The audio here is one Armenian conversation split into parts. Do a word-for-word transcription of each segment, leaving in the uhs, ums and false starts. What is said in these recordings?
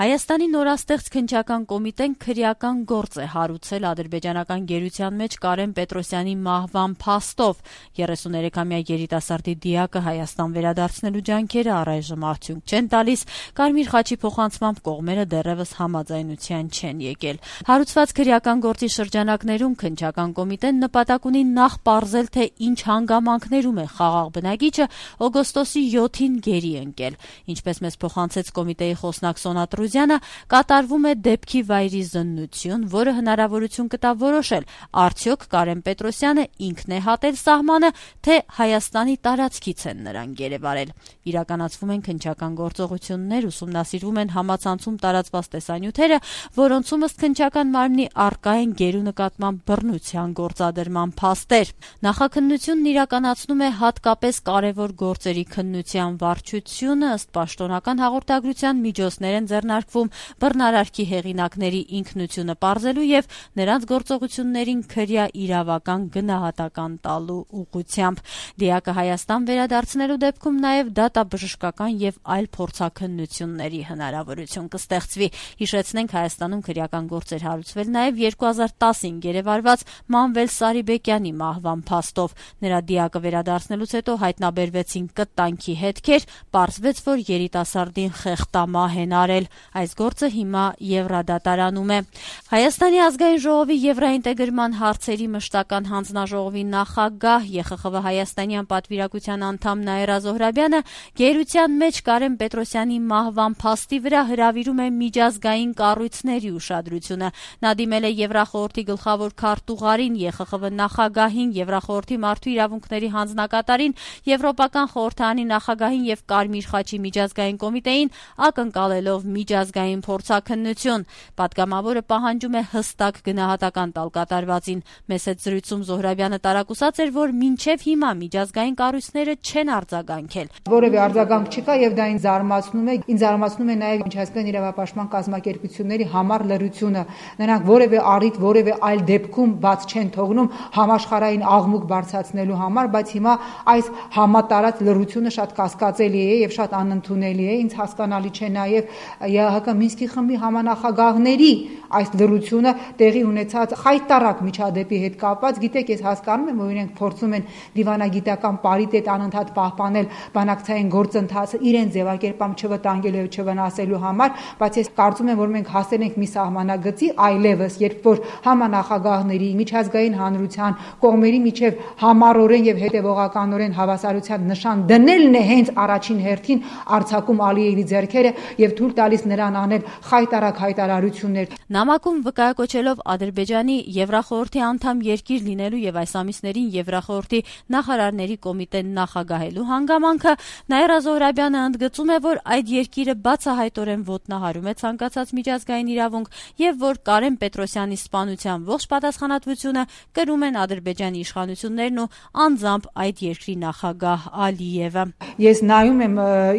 Հայաստանի նորաստեղծ քննչական կոմիտեն քրեական գործ է հարուցել ադրբեջանական գերության մեջ Կարեն Պետրոսյանի մահվան փաստով։ երեսուներեքամյա երիտասարդի դիակը Հայաստան վերադարձնելու ջանքերը առայժմ արդյունք չեն տալիս, Կարմիր խաչի փոխանցմամբ կողմերը դեռևս համաձայնության չեն եկել։ Հարուցված քրեական գործի շրջանակներում քննչական կոմիտեն նպատակ ունի նախ պարզել, թե ինչ հանգամանքներում է խաղաղ բնակիչը օգոստոսի յոթին գերի ընկել։ Ինչպես մեզ փոխանցեց կոմիտեի խոսնակ Սոնա Տրուզյանը, կատարվում է դեպքի վայրի զննություն, որը հնարավորություն կտա որոշել, արդյոք Կարեն Պետրոսյանը ինքն է հատել սահմանը, թե Հայաստանի տարածքից են նրան գերեվարել։ Իրականացվում են քննչական գործողություններ, ուսումնասիրվում են համացանցում տարածված տեսանյութերը, որոնցում ըստ քննչական մարմնի առկա են գերու նկատմամբ բռնության գործադրման փաստեր։ Նախաքննությունն իրականացնում է հատկապես կարևոր գործերի քննության վարչությունը, ըստ պաշտոնական հաղորդագրության միջոցներ են ձեռնարկվում բռնարարքի հեղինակների ինքնությունը պարզելու եւ նրանց գործողություններին քրյա իրավական գնահատական տալու ուղղությամբ։ Դիակը Հայաստան վերադարձնելու դեպքում նաեւ դատաբժշկական եւ այլ փորձաքննությունների հնարավորություն կստեղծվի։ Հիշեցնենք, Հայաստանում քրեական գործեր հարուցվել նաեւ երկու հազար տասին գերեվարված Մանվել Սարիբեկյանի մահվան փաստով։ Նրա դիակը վերադարձնելուց հետո հայտնաբերվեցին կտանքի հետքեր, պարզվեց, որ երիտասարդին խեղտամահ են արել։ Այս գործը հիմա Եվրադատարանում է։ Հայաստանի ազգային ժողովի եվրաինտեգրման հարցերի մշտական հանձնաժողովի նախագահ Է Խ Խ V հայաստանյան պատվիրակության անդամ Նաիրա Զոհրաբյանը գերության մեջ Կարեն Պետրոսյանի մահվան փաստի վրա հրավիրում է միջազգային կառույցների ուշադրությունը։ Նա դիմել է Եվրախորհրդի գլխավոր քարտուղարին, Է Խ Խ V նախագահին, Եվրախորհրդի մարդու իրավունքների հանձնակատարին, Եվրոպական խորհրդարանի նախագահին եւ Կարմիր խաչի միջազգային կոմիտեին, ակնկալելով միջազգային փորձաքննություն։ Պատգամավորը պահանջում է հստակ գնահատական տալ կատարվածին։ Մեծ հետ զրույցում Զոհրաբյանը տարակուսած էր, որ մինչև հիմա միջազգային կառույցները չեն արձագանքել։ Որևէ արձագանք չկա եւ դա ինձ զարմացնում է, ինձ զարմացնում է նաեւ միջազգային իրավապաշտպան կազմակերպությունների համառ լռությունը։ Նրանք որևէ առիթ, որևէ այլ դեպքում բաց չեն թողնում համաշխարհային աղմուկ բարձրացնելու համար, բայց հիմա այս համատարած լռությունը շատ կասկածելի է եւ շատ անընդունելի է։ Ինձ հասկանալի չէ նաեւ Ե Հ Կ Մինսկի խմբի համանախագահների այս լռությունը տեղի ունեցած խայտարակ միջադեպի հետ կապված։ Գիտեք, ես հասկանում եմ, որ իրենք փորձում են դիվանագիտական պարիտետ անընդհատ պահպանել բանակցային գործընթացը իրենց ձևակերպամբ չվտանգելու եւ չվնասելու համար, բայց ես կարծում եմ, որ մենք հասել ենք մի սահմանագծի այլևս, երբ որ համանախագահների, միջազգային հանրության կողմերի միջև համառորեն եւ հետեւողականորեն հավասարության նշան դնելն է հենց առաջին հերթին արձակում Ալիևի ձեռքերը եւ թույլ տալիս նրան անել խայտարակ հայտարարություններ։ Նամակում վկայակոչելով Ադրբեջանի Եվրախորհրդի անդամ երկիր լինելու եւ այս ամիսներին Եվրախորհրդի նախարարների կոմիտեն նախագահելու հանգամանքը, Նաիրա Զոհրաբյանը ընդգծում է, որ այդ երկիրը բացահայտորեն ոտնահարում է ցանկացած միջազգային իրավունք եւ որ Կարեն Պետրոսյանի սպանության ողջ պատասխանատվությունը կրում են Ադրբեջանի իշխանություններն ու անձամբ այդ երկրի նախագահ Ալիևը։ Ես նայում եմ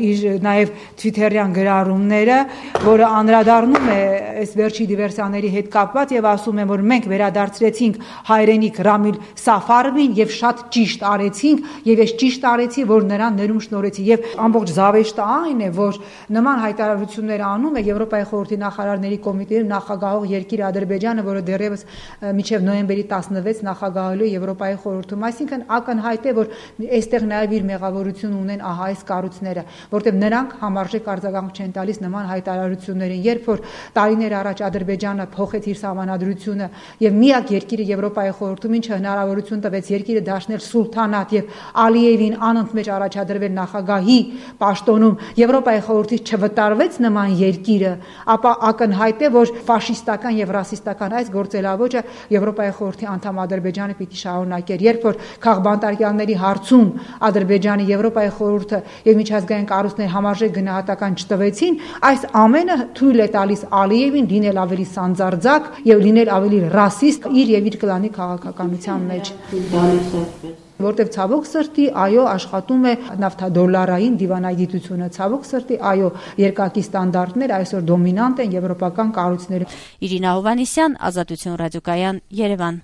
իր նաեւ Twitter-յան գրառումները, որը անդրադառնում է այս վերջի դիվերսիաների հետ կապված եւ ասում է, որ մենք վերադարձրեցինք հայրենիք Ռամիլ Սաֆարովին եւ շատ ճիշտ արեցինք եւ ես ճիշտ արեցի, որ նրան ներում շնորհեցի եւ ամբողջ զավեշտը այն է, որ նման հայտարարություններ անում է Եվրոպայի խորհրդի նախարարների կոմիտեի նախագահող երկիր Ադրբեջանը, որը դեռևս մինչեւ նոյեմբերի տասնվեց նախագահելու Եվրոպայի խորհրդում, այսինքն ակնհայտ է, որ այստեղ նաեւ իր մեղավորություն ունեն ահա այս կառույցները, որտեղ նրանք համարժեք արձագանք չեն տալիս նման հայտարարություններին, երբ որ տարիներ առաջ Ադրբեջանը փոխեց իր սահմանադրությունը եւ միակ երկիրը Եվրոպայի խորհրդում, ինչը հնարավորություն տվեց երկիրը դարձնել սուլթանատ եւ Ալիևին անընդմեջ առաջադրվել նախագահի պաշտոնում, Եվրոպայի խորհրդից չվտարվեց նման երկիրը, ապա ակնհայտ է, որ ֆաշիստական եւ ռասիստական այս գործելավոճը Եվրոպայի խորհրդի անդամ Ադրբեջանը պիտի շարունակեր, երբ որ քաղբանտարկյալների հարցում Ադրբեջանը, Եվրոպայի խորհուրդը եւ միջազգային կառույցներ համարժեք գնահատական չտվեցին, այս ամենը թույլ է տալիս Ալիևին լինել ավելի սանձարձակ եւ լինել ավելի ռասիստ իր եւ իր կլանի քաղաքականության մեջ, որտեղ ցավոք սրտի այո աշխատում է նավթադոլարային դիվանագիտությունը, ցավոք սրտի այո երկակի ստանդարտներ այսօր դոմինանտ են եվրոպական կառույցներում։ Իրինա Հովհաննիսյան, Ազատություն ռադիոկայան, Երևան։